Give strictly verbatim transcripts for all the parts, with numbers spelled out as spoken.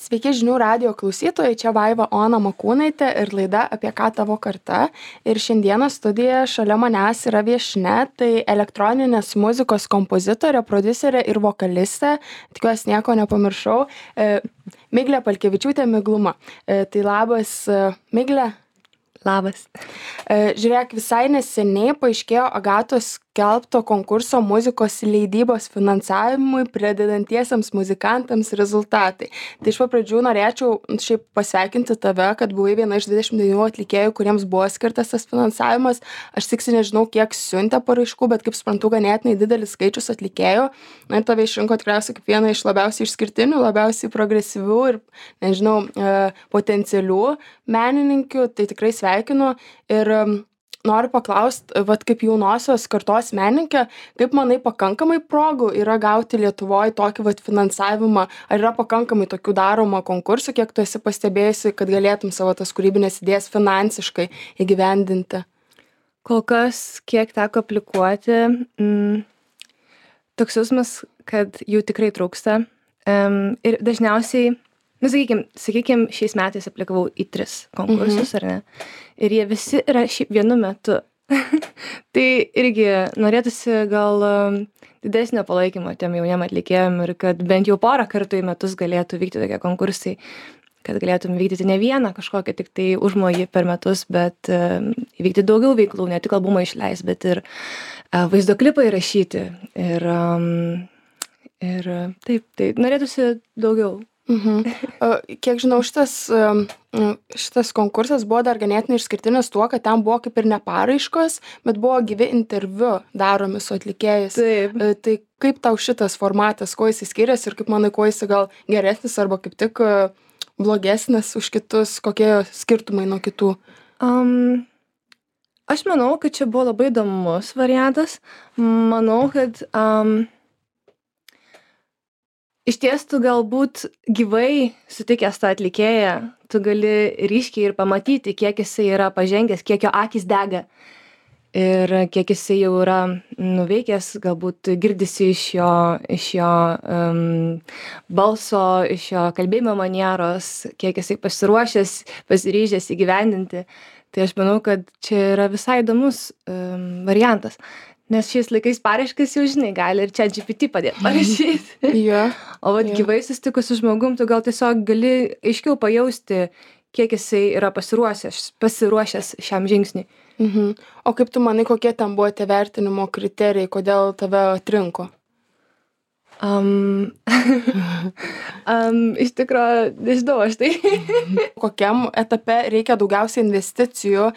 Sveiki žinių radijo klausytojai, čia Vaiva Ona Makūnaitė ir laida Apie ką tavo karta. Ir šiandieną studijoje šalia manęs yra viešnia, tai elektroninės muzikos kompozitorė, prodiuserė ir vokalistė, tikiuosi nieko nepamiršau, e, Miglė Palkevičiūtė Migluma. E, tai labas, e, Miglė. Labas. E, žiūrėk, visai neseniai paaiškėjo Agatos skelbto konkurso muzikos leidybos finansavimui pradedantiesiems muzikantams rezultatai. Tai iš pradžių norėčiau šiaip pasveikinti tave, kad buvai viena iš dvidešimt devynių atlikėjų, kuriems buvo skirtas tas finansavimas. Aš tiksliai nežinau, kiek siuntė paraiškų, bet kaip suprantu, ganėtinai didelis skaičius atlikėjų. Na ir tave išrinko tikriausiai kaip vieną iš labiausiai išskirtinių, labiausiai progresyvių ir, nežinau, e, potencialių menininkių. Tai tikrai sveikinu ir noriu paklaust, vat kaip jaunosios kartos menininkė, kaip manai pakankamai progų yra gauti Lietuvoj tokį vat finansavimą, ar yra pakankamai tokių daroma konkursų, kiek tu esi pastebėjusi, kad galėtum savo tas kūrybinės idėjas finansiškai įgyvendinti? Kol kas, kiek teko aplikuoti, mm, toks jausmas, kad jų tikrai trūksta. Um, ir dažniausiai, nu, sakykim, sakykim, šiais metais aplikavau į tris konkursus, mhm. ar ne? Ir jie visi yra šiaip vienu metu. Tai irgi norėtųsi gal um, didesnio palaikymo tiem jauniem atlikėjim ir kad bent jau porą kartų į metus galėtų vykti tokie konkursai, kad galėtum vykdyti ne vieną kažkokią tik tai užmojį per metus, bet um, įvykti daugiau veiklų, ne tik albumą išleis, bet ir uh, vaizdo klipą įrašyti. Ir, um, ir uh, taip, tai norėtųsi daugiau. Mhm. Kiek žinau, šitas, šitas konkursas buvo dar ganėtinai išskirtinis tuo, kad ten buvo kaip ir ne paraiškos, bet buvo gyvi interviu daromi su atlikėjais. Taip. Tai kaip tau šitas formatas, kuo jis skiriasi ir kaip manai, kuo jis gal geresnis arba kaip tik blogesnis už kitus, kokie skirtumai nuo kitų? Um, aš manau, kad čia buvo labai įdomus variantas. Manau, kad... Um, Iš ties tu galbūt gyvai sutikęs tą atlikėją, tu gali ryškiai ir pamatyti, kiek jisai yra pažengęs, kiek jo akis dega ir kiek jisai jau yra nuveikęs, galbūt girdisi iš jo, iš jo um, balso, iš jo kalbėjimo manieros, kiek jisai pasiruošęs, pasiryžęs įgyvendinti. Tai aš manau, kad čia yra visai įdomus um, variantas. Nes šiais laikais paraiškas jau žinai, gali ir čia G P T padėti parašyti. Yeah. O vat Yeah. gyvai susitikus su žmogum, tu gal tiesiog gali aiškiau pajausti, kiek jisai yra pasiruošęs, pasiruošęs šiam žingsniui. Mhm. O kaip tu manai, kokie ten buvo tie vertinimo kriterijai, kodėl tave atrinko? Um, um, iš tikrųjų, nežinau aš tai. Kokiam etape reikia daugiausiai investicijų,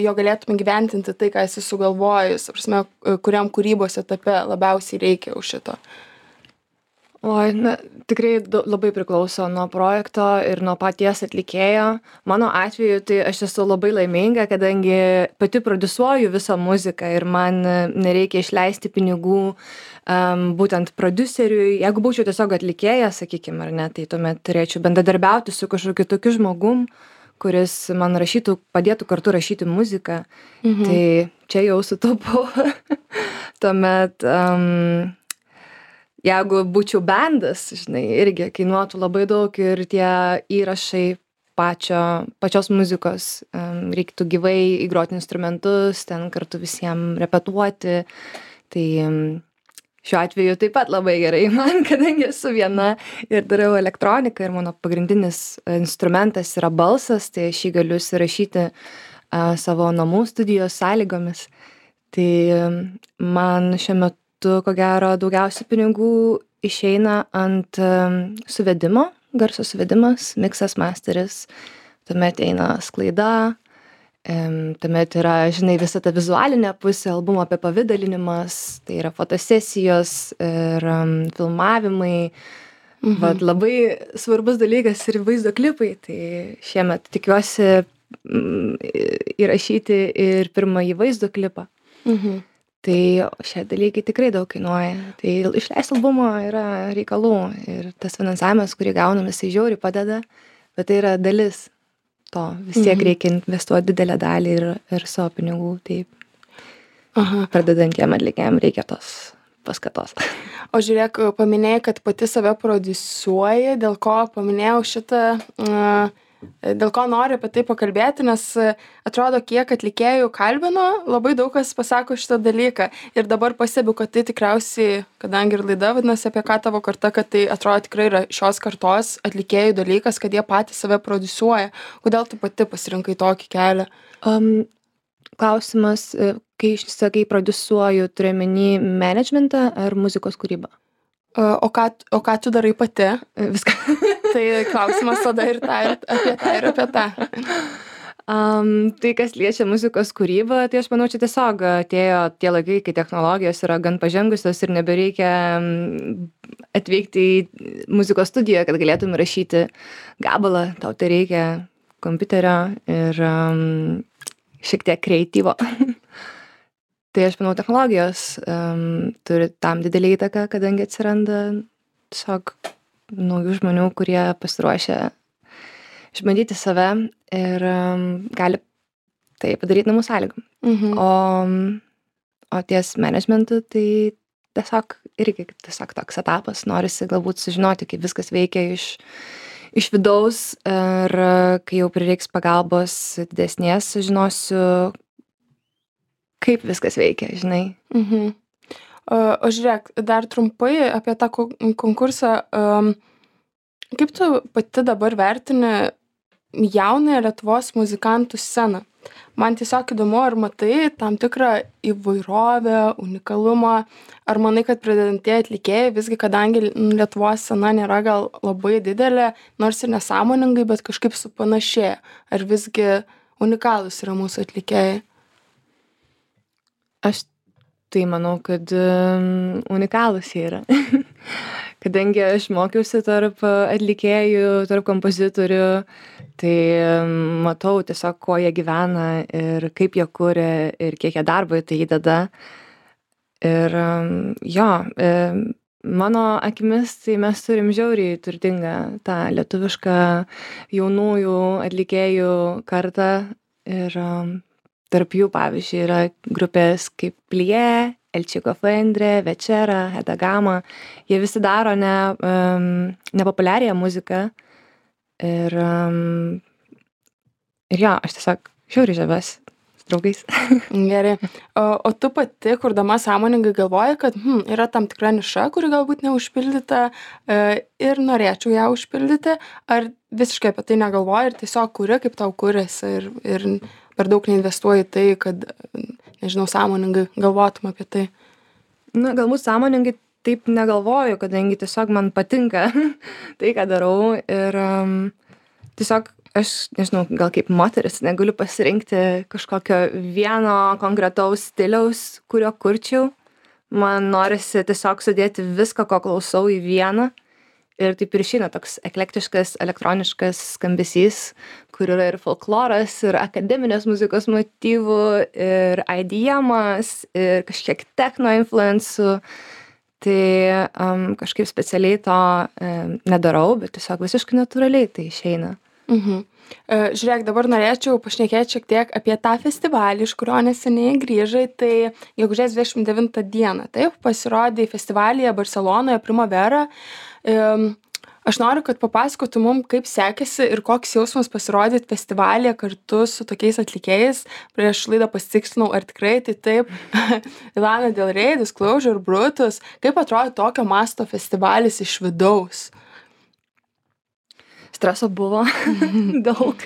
jo galėtum gyventinti tai, ką esi sugalvojus, prasme, kuriam kūrybos etape labiausiai reikia už šito? Oi, na, tikrai du, labai priklauso nuo projekto ir nuo paties atlikėjo. Mano atveju tai aš esu labai laiminga, kadangi pati prodiusuoju visą muziką ir man nereikia išleisti pinigų um, būtent prodiuseriui. Jeigu būčiau tiesiog atlikėja, sakykime, ar ne, tai tuomet turėčiau bendradarbiauti su kažkokiu tokiu žmogum, kuris man rašytų, padėtų kartu rašyti muziką. Mhm. Tai čia jau sutaupau. Tuomet... Um, Jeigu būčiau bandas, žinai, irgi kainuotų labai daug ir tie įrašai pačio, pačios muzikos, um, reiktų gyvai įgroti instrumentus, ten kartu visiems repetuoti. Tai um, šiuo atveju taip pat labai gerai man, kadangi esu viena ir darau elektroniką ir mano pagrindinis instrumentas yra balsas, tai aš jį galiu įsirašyti uh, savo namų studijos sąlygomis. Tai um, man šiuo metu tu, ko gero, daugiausiai pinigų išeina ant um, suvedimo, garso suvedimas, miksas, masteris, tuomet eina sklaida, um, tuomet yra, žinai, visa ta vizualinė pusė, albumo apipavidalinimas, tai yra fotosesijos ir um, filmavimai, mhm. Vat labai svarbus dalykas ir vaizdo klipai, tai šiemet tikiuosi mm, įrašyti ir pirmąjį vaizdo klipą. Mhm. Tai šie dalykai tikrai daug kainuoja. Tai išleisti albumo yra reikalų ir tas finansavimas, kurį gaunam, jisai žiauriai padeda, bet tai yra dalis to. Vis tiek mhm. reikia investuoti didelę dalį ir, ir savo pinigų. Taip. Aha. Pradedantiem atlikėjam reikia tos paskatos. O žiūrėk, paminėjai, kad pati save prodiusuoji, dėl ko paminėjau šitą, uh, dėl ko noriu apie tai pakalbėti, nes atrodo, kiek atlikėjų kalbino, labai daug kas pasako šitą dalyką. Ir dabar pastebiu, kad tai tikriausiai, kadangi ir laida vadinasi apie ką tavo karta, kad tai atrodo tikrai yra šios kartos atlikėjų dalykas, kad jie patys save prodiusuoja. Kodėl tu pati pasirinkai tokį kelią? Um, klausimas, kai sakai prodiusuoju, turi omeny managementą ar muzikos kūrybą? O ką, o ką tu darai pati? Viską. Tai klausimas tada ir, ta, ir apie tą, ir apie tą. Um, tai, kas liečia muzikos kūrybą, tai aš manau, čia tiesiog atėjo tie laikai, kai technologijos yra gan pažengusios ir nebereikia atvykti į muzikos studiją, kad galėtum rašyti gabalą. Tau tai reikia kompiuterio ir um, šiek tiek kreatyvo. Tai aš manau, technologijos um, turi tam didelį įtaką, kadangi atsiranda tiesiog naujų žmonių, kurie pasiruošia išbandyti save ir um, gali tai padaryti namų sąlygom. Mhm. O, o ties managementu tai tiesiog irgi tiesiog toks etapas. Norisi galbūt sužinoti, kaip viskas veikia iš, iš vidaus ir kai jau prireiks pagalbos didesnės, sužinosiu, kaip viskas veikia, žinai. Mhm. O, o žiūrėk, dar trumpai apie tą konkursą. Um, kaip tu pati dabar vertini jaunąją Lietuvos muzikantų sceną? Man tiesiog įdomu, ar matai tam tikrą įvairovę, unikalumą, ar manai, kad pradedantieji atlikėjai, visgi kadangi Lietuvos scena nėra gal labai didelė, nors ir nesąmoningai, bet kažkaip supanašėja, ar visgi unikalūs yra mūsų atlikėjai? Aš tai manau, kad um, unikalūs jie yra. Kadangi aš mokiausi tarp atlikėjų, tarp kompozitorių, tai um, matau tiesiog, kuo jie gyvena ir kaip jie kuria ir kiek jie darbo į tai įdeda. Ir um, jo, um, mano akimis, tai mes turim žiauriai turtingą tą lietuvišką jaunųjų atlikėjų kartą ir um, tarp jų, pavyzdžiui, yra grupės kaip Plie, El Chico Fendre, Večera, Hedagama. Jie visi daro ne, um, nepopuliarią muziką. Ir, um, ir jo, aš tiesiog žiauriai žaviuosi su draugais. Gerai. O, o tu pati, kurdama sąmoningai galvoji, kad hm, yra tam tikra niša, kuri galbūt neužpildyta e, ir norėčiau ją užpildyti, ar visiškai apie tai negalvoji ir tiesiog kuri, kaip tau kuriasi ir, ir per daug neinvestuoji tai, kad, nežinau, sąmoningai galvotum apie tai? Na, galbūt sąmoningai taip negalvoju, kadangi tiesiog man patinka tai, ką darau. Ir um, tiesiog aš, nežinau, gal kaip moteris negaliu pasirinkti kažkokio vieno konkretaus stiliaus, kurio kurčiau. Man norisi tiesiog sudėti viską, ko klausau į vieną. Ir taip ir išeina toks eklektiškas, elektroniškas skambesys, kur yra ir folkloras, ir akademinės muzikos motyvų, ir I D M-as, ir kažkiek techno influencų. Tai um, kažkaip specialiai to um, nedarau, bet tiesiog visiškai natūraliai tai išeina. Mhm. Uh, žiūrėk, dabar norėčiau pašnekėti šiek tiek apie tą festivalį, iš kurio neseniai grįžai. Tai gegužės dvidešim devintą dieną, taip, pasirodė festivalyje Barcelonoje Primavera. Um, aš noriu, kad papasakotum mum, kaip sekėsi ir koks jausmas pasirodyti festivalyje kartu su tokiais atlikėjais. Prieš laidą pasitikslinau, ar tikrai tai taip. Lana Del Rey, Disclosure, Brutus. Kaip atrodo tokio masto festivalis iš vidaus? Streso buvo daug.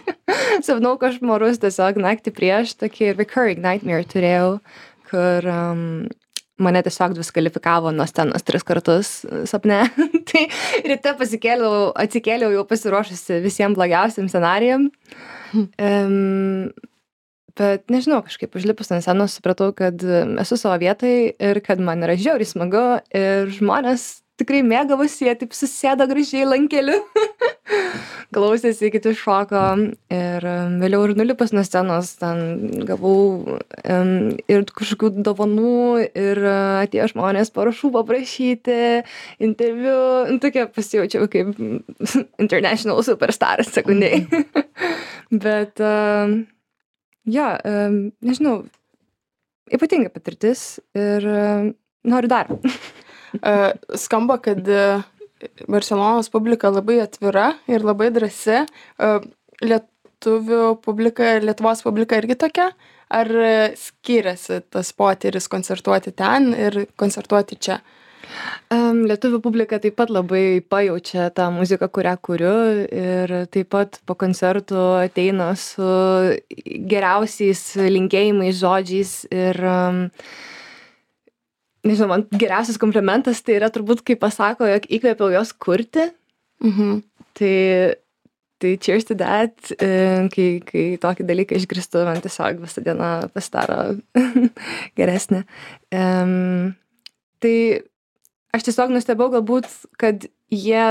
Sapnau košmarus tiesiog naktį prieš, tokį recurring nightmare turėjau, kur um, mane tiesiog diskvalifikavo nuo scenos tris kartus sapne. Tai ryte pasikėliau, atsikėliau jau pasiruošusi visiems blogiausiam scenarijam. Um, bet nežinau, kažkaip užlipus ant scenos supratau, kad esu savo vietai ir kad man yra žiauriai smagu ir žmonės tikrai mėgavosi, jie taip susėdo gražiai lankeliu. Klausėsi, kiti šoko ir um, vėliau ir nulipus nuo scenos ten gavau um, ir kažkokių dovanų ir uh, atėjo žmonės parašų paprašyti, interviu, nu, tokia pasijaučiau kaip international superstar sekundžiai. Bet um, jo, um, nežinau, ypatinga patirtis ir um, noriu dar. Uh, skamba, kad uh, Barselonos publika labai atvira ir labai drąsi. Uh, lietuvių publika, Lietuvos publika irgi tokia? Ar skiriasi tas potyris koncertuoti ten ir koncertuoti čia? Um, lietuvių publika taip pat labai pajaučia tą muziką, kurią kuriu ir taip pat po koncertų ateina su geriausiais linkėjimais, žodžiais ir um, nežinau, man geriausias komplimentas tai yra turbūt, kai pasako, jog įkvėpiau jos kurti. Mhm. Tai Tai cheers to that, kai, kai tokį dalyką išgirstu, man tiesiog visą dieną pasidaro geresnė. Um, tai aš tiesiog nustebau galbūt, kad jie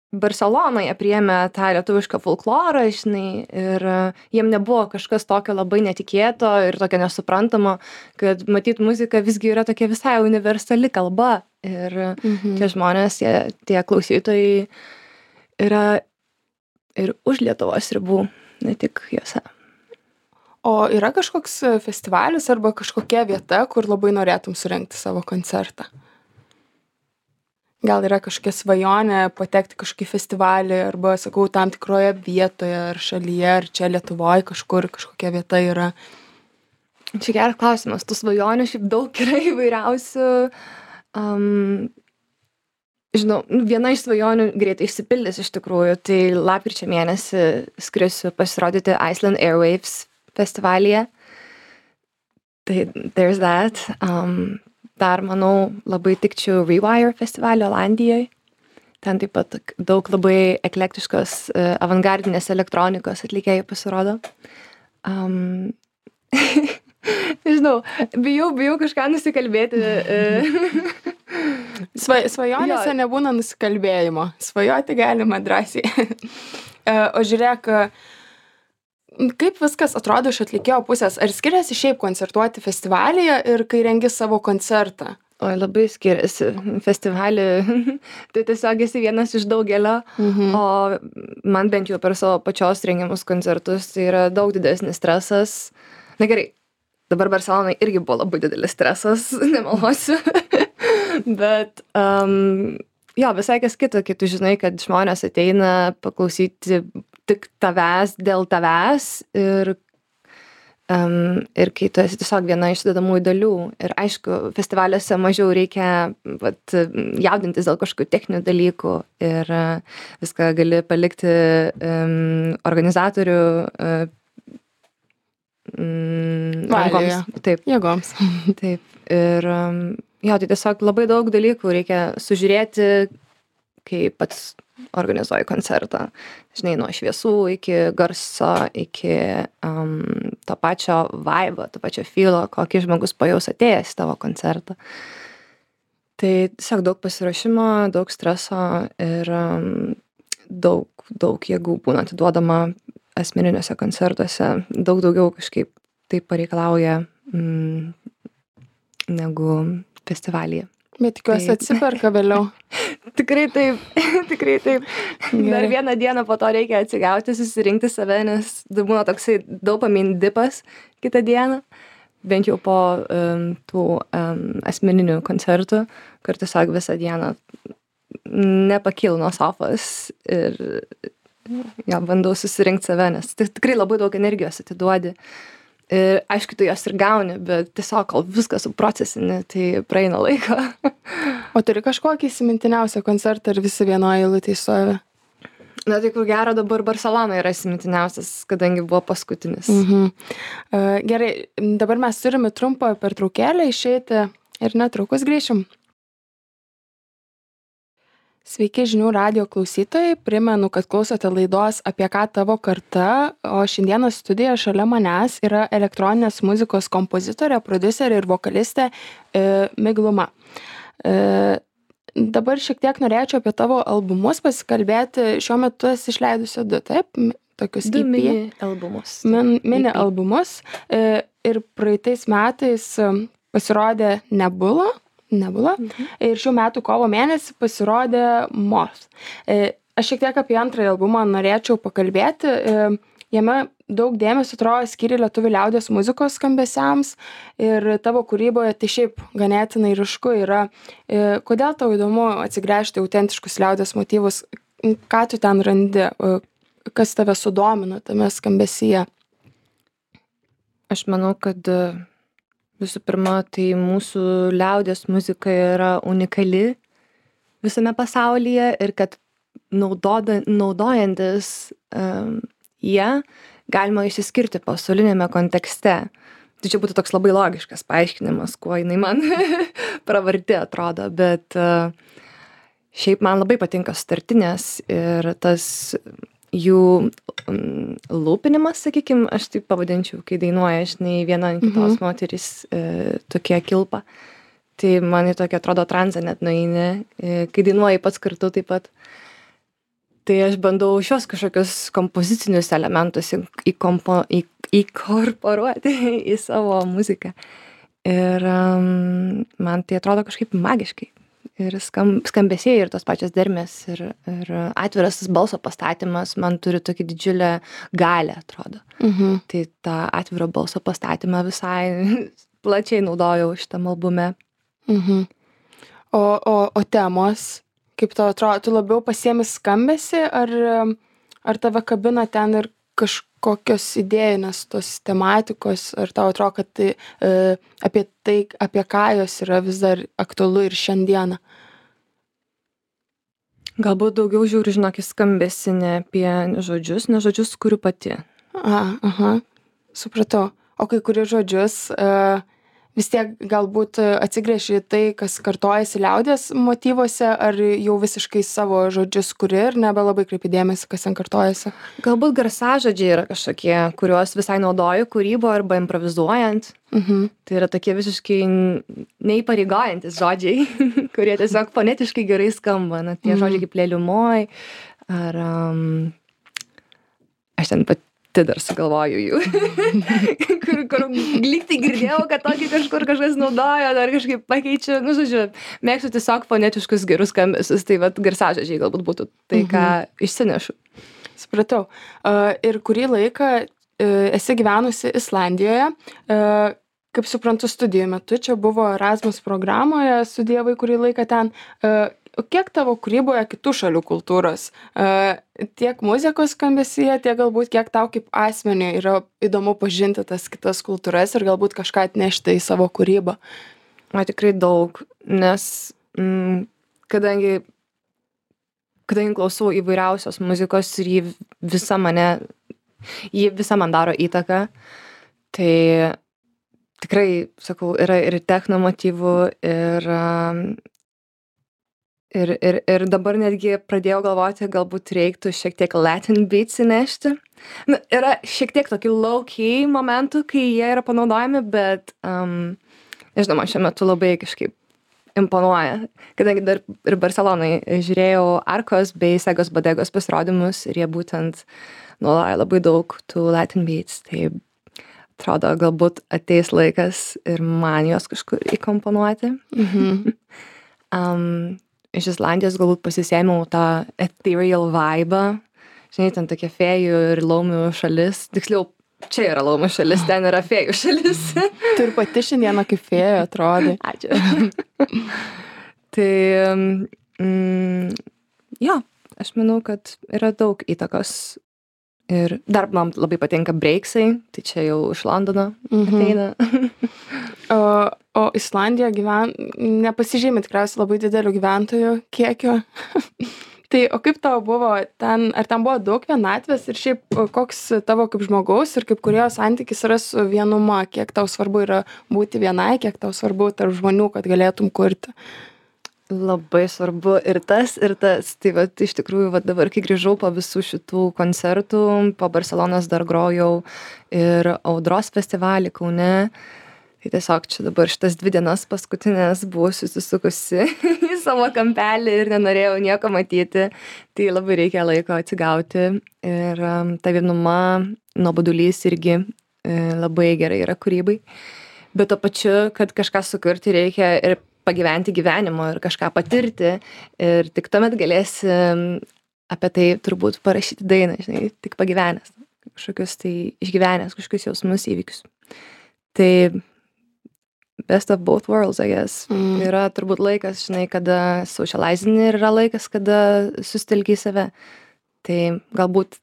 Barselonoje priėmė tą lietuvišką folklorą, žinai, ir jiem nebuvo kažkas tokio labai netikėto ir tokio nesuprantamo, kad matyt muzika visgi yra tokia visai universali kalba ir mhm. tie žmonės, jie, tie klausytojai yra ir už Lietuvos ribų, ne tik jose. O yra kažkoks festivalis arba kažkokia vieta, kur labai norėtum surengti savo koncertą? Gal yra kažkokia svajonė patekti kažkokį festivalį arba, sakau, tam tikroje vietoje ar šalyje, ar čia Lietuvoje kažkur kažkokia vieta yra? Čia geras klausimas. Tų svajonių šiaip daug yra įvairiausių. Um, Žinau, viena iš svajonių greitai išsipildys iš tikrųjų, tai lapkričio mėnesį skrisiu pasirodyti Iceland Airwaves festivalyje. Tai there's that. Um, dar, manau, labai tikčiau Rewire festivalio Olandijoje. Ten taip pat daug labai eklektiškos uh, avangardinės elektronikos atlikėjų pasirodo. Um, Nežinau, bijau, bijau kažką nusikalbėti. Sva, svajonėse nebūna nusikalbėjimo. Svajoti galima drąsiai. O žiūrėk, kaip viskas atrodo iš atlikėjo pusės? Ar skiriasi šiaip koncertuoti festivalyje ir kai rengi savo koncertą? Oi, labai skiriasi. Festivalį, tai tiesiog esi vienas iš daugelio, mhm. o man bent jau per savo pačios rengiamus koncertus tai yra daug didesnis stresas. Na gerai, dabar Barcelonai irgi buvo labai didelis stresas, nemeluosiu. Bet um, jo, visai kas kita, kai tu žinai, kad žmonės ateina paklausyti tik tavęs dėl tavęs ir, um, ir kai tu esi tiesiog viena iš sudedamųjų dalių. Ir aišku, festivaliuose mažiau reikia vat, jaudintis dėl kažkokių techninių dalykų ir uh, viską gali palikti um, organizatorių uh, mm, Valioje. Taip. Jėgoms. Taip. Ir um, jo, tai tiesiog labai daug dalykų reikia sužiūrėti, kai pats organizuoji koncertą. Žinai, nuo šviesų iki garso, iki um, to pačio vibe, to pačio feelo, kokį žmogus pajaus atėjęs į tavo koncertą. Tai tiesiog daug pasiruošimo, daug streso ir um, daug, daug jėgų būna atiduodama asmeniniuose koncertuose. Daug daugiau kažkaip tai pareikalauja mm, negu festivalyje. Bet tikiuosi atsiperka vėliau. Tikrai taip, tikrai taip. Gerai. Dar vieną dieną po to reikia atsigauti, susirinkti save, nes būna toksai dopamine dipas kitą dieną, bent jau po um, tų um, asmeninių koncertų, kur tiesiog visą dieną nepakylu nuo sofos ir ja, bandau susirinkti save, nes tikrai labai daug energijos atiduodi. Ir aišku, tu jos ir gauni, bet tiesiog, kol viską suprocesini, tai praeina laiko. O turi kažkokį įsimintiniausią koncertą ir visi vienoje eilutėje stovi? Na, tai kur gero dabar Barcelona yra įsimintiniausias, kadangi buvo paskutinis. Mhm. Uh, gerai, dabar mes turime trumpą pertraukėlę išeiti ir netrukus grįšim. Sveiki žinių radijo klausytojai, primenu, kad klausote laidos Apie ką tavo karta, o šiandieną studijoje šalia manęs yra elektroninės muzikos kompozitorė, prodiuserė ir vokalistė e, Migluma. E, dabar šiek tiek norėčiau apie tavo albumus pasikalbėti. Šiuo metu esi išleidusi du, taip? Tokius du E P. mini albumus. Min, mini E P. albumus. E, ir praeitais metais pasirodė Nebula. Nebula. Mhm. Ir šių metų kovo mėnesį pasirodė Morphs. E, aš šiek tiek apie antrąjį albumą norėčiau pakalbėti. E, jame daug dėmesio atrodo skiri lietuvių liaudies muzikos skambesiams ir tavo kūryboje tai šiaip ganėtinai ryšku yra. E, Kodėl tau įdomu atsigręžti autentiškus liaudies motyvus? Ką tu ten randi? E, Kas tave sudomina tame skambesyje? Aš manau, kad e, visų pirma, tai mūsų liaudies muzika yra unikali visame pasaulyje ir kad naudoda, naudojantis um, ją galima išsiskirti pasaulinėme kontekste. Tai čia būtų toks labai logiškas paaiškinimas, kuo jinai man pravarti atrodo, bet uh, šiaip man labai patinka sutartinės ir tas jų um, lūpinimas, sakykim, aš taip pavadinčiau, kai dainuoja, žinai, viena ant kitos mhm. moterys e, tokie kilpa. Tai man į tokia atrodo transą net nueini, e, kai dainuoji pats kartu taip pat. Tai aš bandau šios kažkokius kompozicinius elementus įkompo, į, įkorporuoti į savo muziką. Ir um, man tai atrodo kažkaip magiškai. Ir skam, skambesiai ir tos pačios dermės ir, ir atviras balso pastatymas man turi tokį didžiulę galę, atrodo. Mhm. Tai tą atviro balso pastatymą visai plačiai naudojau šitam albume. Mhm. O, o, o temos, kaip tau atrodo, tu labiau pasiemi skambesį ar, ar tave kabina ten ir kažkokios idėjinės tos tematikos, ar tau atrodo, kad tai, e, apie tai, apie ką jos yra vis dar aktualu ir šiandieną? Galbūt daugiau žiūriu, žinok, į skambesį ne apie žodžius, ne žodžius kuriu pati. A, aha, supratau. O kai kuri žodžius, e, vis tiek galbūt atsigręži į tai, kas kartojasi liaudies motyvuose, ar jau visiškai savo žodžius kuri ir nebelabai kreipi dėmesį, kas ten kartojasi? Galbūt garsažodžiai yra kažkokie, kuriuos visai naudoju kūrybo arba improvizuojant. Mhm. Tai yra tokie visiškai neįpareigojantis žodžiai, kurie tiesiog fonetiškai gerai skamba. Na, tie Mhm. žodžiai kaip lėliumoj, ar um, aš ten pati dar sugalvoju jų, kur, kur lyg tai girdėjau, kad tokį kažkur kažkas naudoja, ar kažkaip pakeičiu. Nu, žodžiu, mėgstu tiesiog fonetiškus gerus skambesius, tai vat garsažodžiai galbūt būtų tai, ką išsinešu. Supratau. Uh, ir kurį laiką uh, esi gyvenusi Islandijoje, uh, kaip suprantu, studijų metu, čia buvo Erasmus programoje, studijavai kurį laiką ten. Uh, kiek tavo kūryboje kitų šalių kultūros? Uh, tiek muzikos skambesyje, tiek galbūt kiek tau kaip asmeniui yra įdomu pažinti tas kitas kultūras ir galbūt kažką atnešti į savo kūrybą? O tikrai daug, nes mm, kadangi, kadangi klausau įvairiausios muzikos ir jį visa mane, jį visa man daro įtaką, tai tikrai, sakau, yra ir techno motyvų, ir um, Ir, ir, ir dabar netgi pradėjau galvoti, galbūt reiktų šiek tiek Latin beats įnešti. Na, yra šiek tiek tokių low-key momentų, kai jie yra panaudojami, bet, um, nežinau, man šiuo metu labai kažkaip imponuoja. Kadangi dar ir Barcelonai žiūrėjau Arkos bei Segos Bodegos pasirodymus ir jie būtent naudoja labai daug tų Latin beats. Tai atrodo, galbūt ateis laikas ir man juos kažkur įkomponuoti. Mhm. um, Iš Islandijos galbūt pasisėmiau tą ethereal vibe. Žinai, ten tokia fėjų ir laumių šalis. Tiksliau, čia yra laumių šalis, ten yra fėjų šalis. Tu ir pati šiandieną kaip fėja atrodai. Ačiū. Tai, mm, jo, aš manau, kad yra daug įtakos. Ir dar man labai patinka breaksai, tai čia jau iš Londono ateina. O, o Islandija gyven... nepasižymi tikriausiai labai didelių gyventojų kiekio. Tai o kaip tau buvo ten, ar ten buvo daug vienatvės ir šiaip koks tavo kaip žmogaus ir kaip kūrėjo santykis yra su vienuma, kiek tau svarbu yra būti vienai, kiek tau svarbu tarp žmonių, kad galėtum kurti? Labai svarbu ir tas, ir tas. Tai vat, iš tikrųjų, vat, dabar, kai grįžau po visų šitų koncertų, po Barcelonos dar grojau ir Audros festivalį Kaune. Tai tiesiog čia dabar šitas dvi dienas paskutinės buvau susisukusi į savo kampelį ir nenorėjau nieko matyti. Tai labai reikia laiko atsigauti. Ir um, ta vienuma, nuobodulys irgi e, labai gerai yra kūrybai. Bet to pačiu, kad kažką sukurti reikia ir pagyventi gyvenimo ir kažką patirti ir tik tuomet galėsi apie tai turbūt parašyti dainą, žinai, tik pagyvenęs. kažkokius tai išgyvenęs, kažkokius jausmus įvykius. Tai best of both worlds, I guess. Mm. Yra turbūt laikas, žinai, kada socializini ir yra laikas, kada susitelki į save. Tai galbūt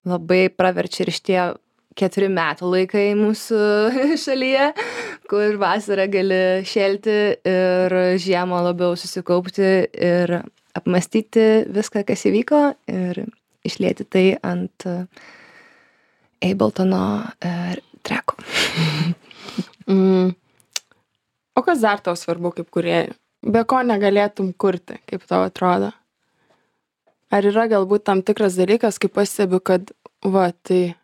labai praverčia ir šitie keturi metų laikai mūsų šalyje, kur vasarą gali šėlti ir žiemą labiau susikaupti ir apmastyti viską, kas įvyko ir išlieti tai ant Abletono uh, treko. Mm. O kas dar tau svarbu kaip kūrėjai? Be ko negalėtum kurti, kaip tau atrodo? Ar yra galbūt tam tikras dalykas, kaip pastebiu, kad va, tai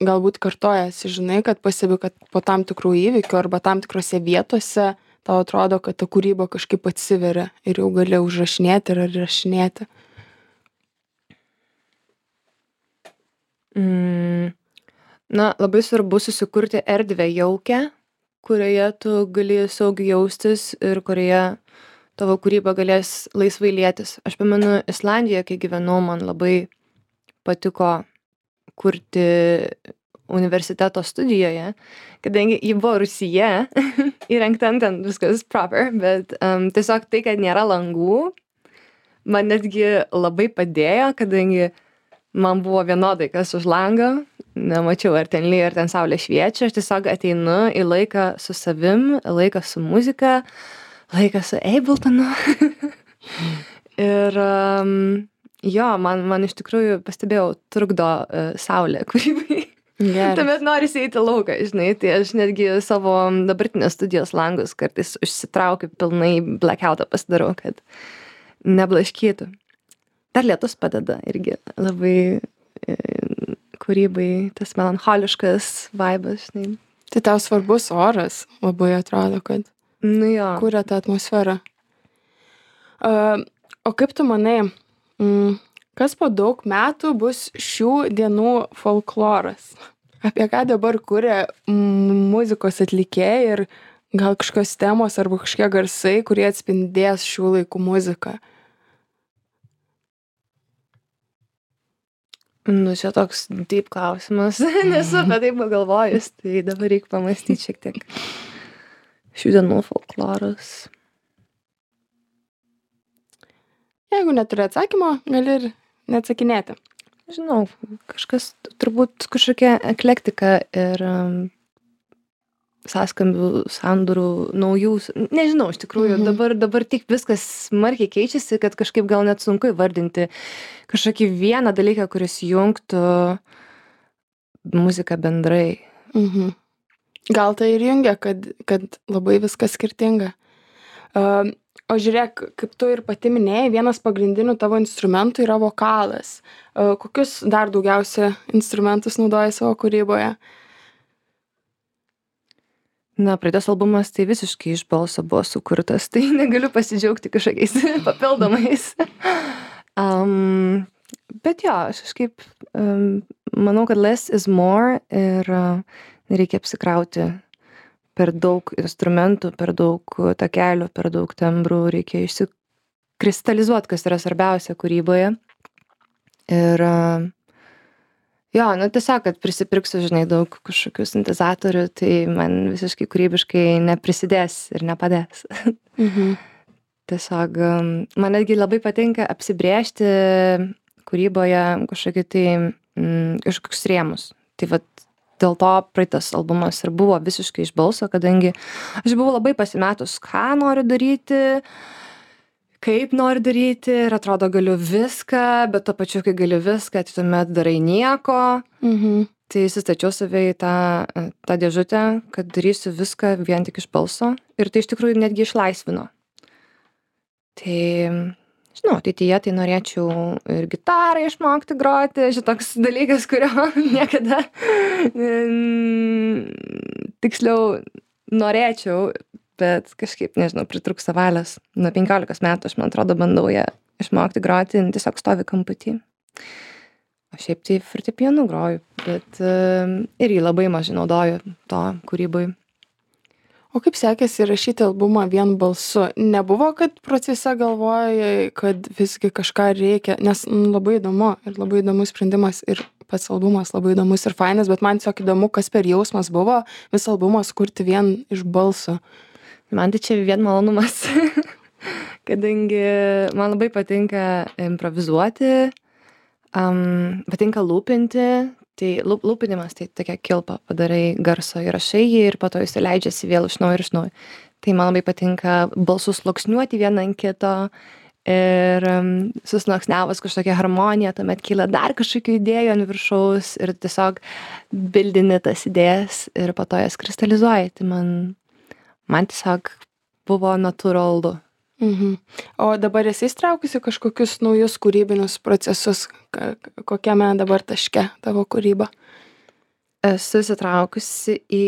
galbūt kartojasi, žinai, kad pastebiu, kad po tam tikrų įvykių arba tam tikrose vietose tau atrodo, kad ta kūryba kažkaip atsiveria ir jau gali užrašinėti ir rašinėti? Mm. Na, labai svarbu susikurti erdvę jaukę, kurioje tu gali saugiai jaustis ir kurioje tavo kūryba galės laisvai lietis. Aš pamenu Islandijoje, kai gyvenau, man labai patiko kurti universiteto studijoje, kadangi ji buvo rūsyje, įrengta ten viskas proper, bet um, tiesiog tai, kad nėra langų, man netgi labai padėjo, kadangi man buvo vienodai, kas už langą, nemačiau, ar ten lyja, ar ten saulė šviečia, aš tiesiog ateinu į laiką su savim, laiką su muzika, laiką su Abletonu. Ir um, jo, man, man iš tikrųjų, pastebėjau, trukdo uh, saulė kūrybai. Geras. Tuomet norisi eiti lauką, žinai, tai aš netgi savo dabartinės studijos langus kartais užsitraukiu, pilnai blackoutą pasidarau, kad neblaškytų. Dar lietus padeda irgi labai e, kūrybai, tas melancholiškas vaibas, žinai. Tai tau svarbus oras, labai atrodo, kad Nu jo. kuria tą atmosferą. Uh, o kaip tu manai, mm, kas po daug metų bus šių dienų folkloras? Apie ką dabar kuria mm, muzikos atlikėjai ir gal kažkokios temos arba kažkokie garsai, kurie atspindės šių laikų muziką? Nu, čia toks deep klausimas, nesu apie tai pagalvojus, tai dabar reikia pamastyti šiek tiek. Šių dienų folkloras. Jeigu neturi atsakymo, gali ir neatsakinėti. Žinau, kažkas, turbūt kažkokia eklektika ir um, sąskambių, sandūrų, naujų, nežinau, iš tikrųjų, Mhm. dabar, dabar tik viskas smarkiai keičiasi, kad kažkaip gal net sunku įvardinti kažkokį vieną dalyką, kuris jungtų muziką bendrai. Mhm. Gal tai ir jungia, kad, kad labai viskas skirtinga. Uh, o žiūrėk, kaip tu ir pati minėjai, vienas pagrindinių tavo instrumentų yra vokalas. Uh, kokius dar daugiausia instrumentus naudoji savo kūryboje? Na, praeitas albumas tai visiškai iš balso buvo sukurtas, tai negaliu pasidžiaugti kažkokiais papildomais. um, bet jo, aš kažkaip um, manau, kad less is more ir uh, nereikia apsikrauti per daug instrumentų, per daug takelių, per daug tembrų, reikia išsikristalizuoti, kas yra svarbiausia kūryboje. Ir uh, jo, nu tiesiog, kad prisipirksiu, žinai, daug kažkokių sintezatorių, tai man visiškai kūrybiškai neprisidės ir nepadės. Mhm. Tiesiog um, man netgi labai patinka apsibrėžti kūryboje kažkokį tai mm, kažkokius rėmus. Tai vat dėl to praeitas albumas ir buvo visiškai iš balso, kadangi aš buvau labai pasimetus, ką noriu daryti, kaip noriu daryti ir atrodo galiu viską, bet to pačiu, kai galiu viską, tai tuomet darai nieko. Mhm. Tai įsistačiau save į tą, tą dėžutę, kad darysiu viską vien tik iš balso ir tai iš tikrųjų netgi išlaisvino. Tai, žinau, ateityje tai norėčiau ir gitarą išmokti groti, šitoks dalykas, kurio niekada tiksliau norėčiau, bet kažkaip, nežinau, pritrūksta valios. Nuo penkiolikos metų aš, man atrodo, bandau ją išmokti groti, tiesiog stovi kamputį. O šiaip tai fortepijonu groju, bet uh, irgi labai mažai naudoju to kūrybui. O kaip sekėsi rašyti albumą vien balsu? Nebuvo, kad procese galvojai, kad visgi kažką reikia, nes mm, labai įdomu ir labai įdomus sprendimas ir pats albumas labai įdomus ir fainas, bet man tiesiog įdomu, kas per jausmas buvo visą albumą skurti vien iš balso. Man tai čia vien malonumas, kadangi man labai patinka improvizuoti, um, patinka lūpinti, tai lūp, lūpinimas tai tokia kilpa, padarai garso įrašai jį ir po to jis leidžiasi vėl iš naujo ir iš naujo. Tai man labai patinka balsus sluoksniuoti vieną ant kito ir um, susluoksniavus kažkokią harmoniją, tuomet kyla dar kažkokių idėjų ant viršaus ir tiesiog bildini tas idėjas ir po to jas kristalizuoji. Tai man, man tiesiog buvo natūralu. Mhm. O dabar esi įstraukusi kažkokius naujus kūrybinius procesus, kokiame dabar taške tavo kūryba? Esu įsitraukusi į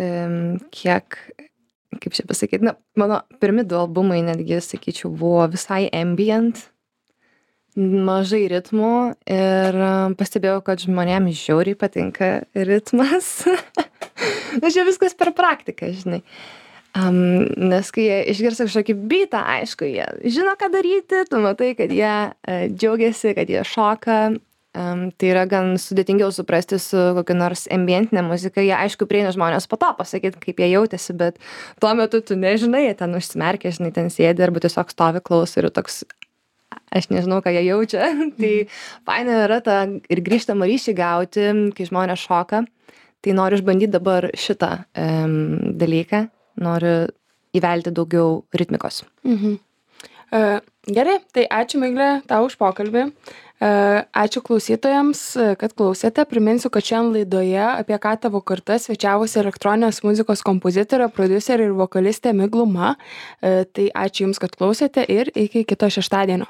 um, kiek, kaip čia pasakyti, na, mano pirmi du albumai netgi, sakyčiau, buvo visai ambient, mažai ritmų ir pastebėjau, kad žmonėms žiauriai patinka ritmas. Na, čia viskas per praktiką, žinai. Um, nes kai jie išgirsta kažkokį beatą, aišku, jie žino, ką daryti, tu matai, kad jie uh, džiaugiasi, kad jie šoka. Um, tai yra gan sudėtingiau suprasti su kokia nors ambientinė muzika. Jie, aišku, prieina žmonės po to pasakyti, kaip jie jautėsi, bet tuo metu tu nežinai, jie ten užsimerkia, žinai, ten sėdi arba tiesiog stovi klauso ir toks, aš nežinau, ką jie jaučia. Tai faina yra ta ir grįžtamą ryšį gauti, kai žmonės šoka. Tai noriu išbandyti dabar šitą um, dalyką. Noriu įvelti daugiau ritmikos. Mhm. Uh, gerai, tai ačiū Miglė tau už pokalbį. Uh, ačiū klausytojams, kad klausėte. Priminsiu, kad šiandien laidoje apie ką tavo karta svečiavosi elektroninės muzikos kompozitorė, prodiuserė ir vokalistė Migluma. Uh, tai ačiū Jums, kad klausėte ir iki kito šeštadienio.